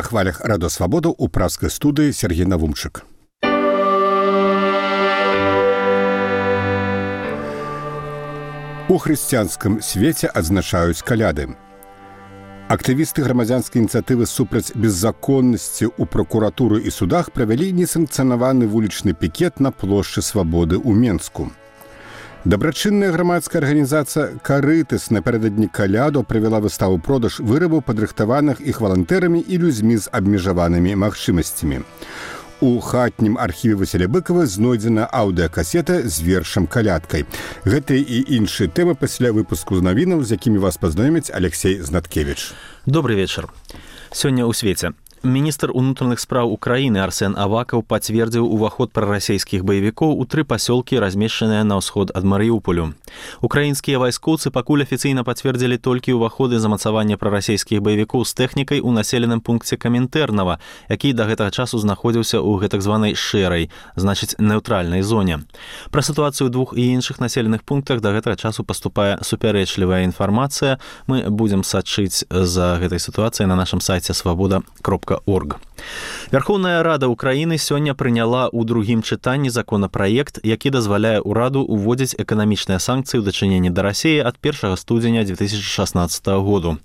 хвалях Радо Свабоду у пражской студии Сергей Навумчик. У хрысціянскім свеце адзначаюць каляды. Актывісты грамадзянскай ініцыятывы супраць беззаконнасці ў прокуратуры і судах правялі несанкцыянаваны вулічны пікет на плошчы Свабоды ў Менску. Дабрачынная грамадская арганізацыя «Карытас» напярэдадні каляду правяла выставу-продаж вырабаў, падрыхтаваных іх валантэрамі і людзьмі з абмежаванымі магчымасцямі. У хатнім архіве Васіля Быкова знойдзена аўдыакасета з вершам «Калядкай». Гэтыя і іншыя тэмы пасля выпуску з навінаў, з якімі вас пазнаёміць Алексей Знаткевич. Добрый вечар. Сёння ў свеце. Міністр унутраных спраў Украіны Арсен Авакаў пацвердзіў уваход прарасійскіх баевікоў у 3 пасёлкі, размешчаныя на ўсход ад Марыуполю. Украінскія вайскоўцы пакуль афіцыйна пацвердзілі толькі ўваходы замацавання прарасійскіх баевікоў з тэхнікай у населеным пункце Каментэрнава, які да гэтага часу знаходзіўся ў гэтак званай шэрай, значыць нейтральнай зоне. Пра сітуацыю ў 2 і іншых населеных пунктах да гэтага часу паступае супярэчлівая інфармацыя. Мы будзем сачыць за гэтай сітуацыяй на нашым сайце свабода.орг. Верховная Рада Украіны сёння прыняла ў другім чытанні законапраект, які дазваляе ўраду ўводзіць эканамічныя санкцыі ў дачыненні да Расіі ад 1 студзеня 2016 году.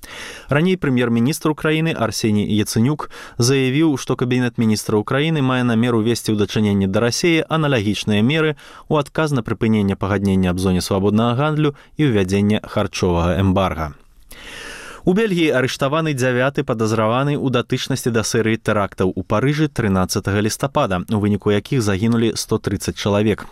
Раней прэм'ер-міністр Украіны Арсеній Яцэнюк заявіў, што Кабінет міністра Украіны мае намер увесці ў дачыненні да Расіі аналагічныя меры ў адказ на прыпыненне пагаднення аб зоне свабоднага гандлю і ўвядзення харчовага эмбарга. У Бельгіі арыштаваны 9-ы падазраваны ў датычнасці да серыі тэрактаў у Парыжы 13 лістапада, у выніку якіх загінулі 130 чалавек.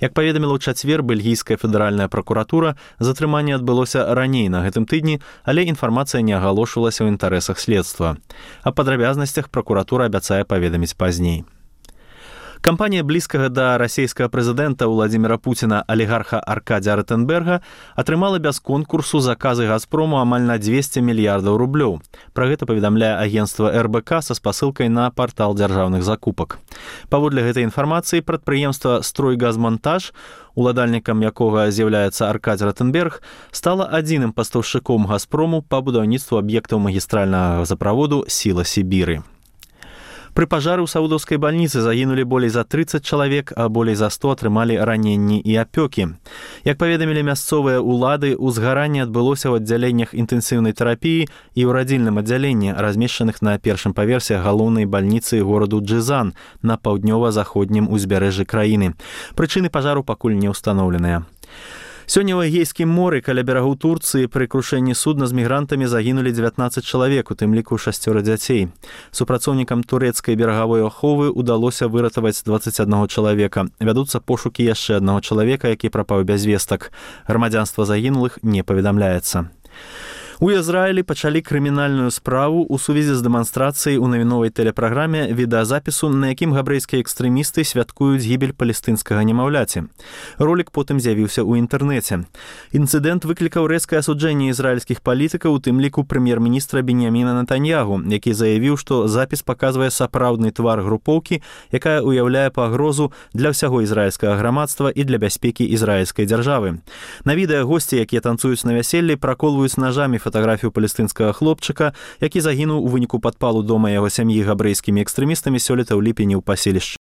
Як паведаміла ў чацвер бельгійская федэральная пракуратура, затрыманне адбылося раней на гэтым тыдні, але інфармацыя не агалошвалася ў інтарэсах следства. Аб падрабязнасцях пракуратура абяцае паведаміць пазней. Кампанія блізкага да расійскага прэзідэнта Владзіміра Пуціна алігарха Аркадзія Ротенберга атрымала без конкурсу заказы «Газпрому» амаль на 200 мільярдаў рублёў. Пра гэта паведамляе агенцтва РБК са спасылкай на партал дзяржаўных закупак. Паводле гэтай інфармацыі прадпрыемства «Стройгазмонтаж», уладальнікам якога з'яўляецца Аркадзій Ротенберг, стала адзіным пастаўшчыком «Газпрому» па будаўніцтву аб'ектаў магістральнага газаправоду «Сіла Сібіры». Пры пажары ў саудаўскай бальніцы загінулі болей за 30 чалавек, а болей за 100 атрымалі раненні і апёкі. Як паведамілі мясцовыя ўлады, узгаранне адбылося ў аддзяленнях інтэнсіўнай тэрапіі і ў радзільным аддзяленні, размешчаных на першым паверсе галоўнай бальніцы гораду Джызан на паўднёва-заходнім узбярэжжы краіны. Прычыны пажару пакуль не ўстаноўленыя. Сёння ў Эгейскім моры каля берагоў Турцыі пры крушэнні судна з мігрантамі загінулі 19 чалавек, у тым ліку 6 дзяцей. Супрацоўнікам турэцкай берагавой аховы удалося выратаваць 21 чалавека. Вядуцца пошукі яшчэ аднаго чалавека, які прапаў без вестак. Грамадзянства загінулых не паведамляецца. У Ізраілі пачалі крымінальную справу ў сувязі з дэманстрацыяй у навіновай тэлепраграме відэазапісу, на якім габрэйскія экстрэмісты святкуюць гібель палестынскага немаўляці. Ролік потым з'явіўся ў інтэрнэце. Інцыдэнт выклікаў рэзкае асуджэнне ізраільскіх палітыкаў, у тым ліку прэм'ер-міністра Беньяміна Нетаньягу, які заявіў, што запіс паказвае сапраўдны твар групоўкі, якая ўяўляе пагрозу для ўсяго ізраільскага грамадства і для бяспекі ізраільскай дзяржавы. На відэа госці, якія танцуюць на вяселлі, праколваюць нажамі фатаграфію палестынскага хлопчыка, які загінуў у выніку падпалу дома яго сям'і габрэйскімі экстрэмістамі сёлета ў ліпені ў паселішчы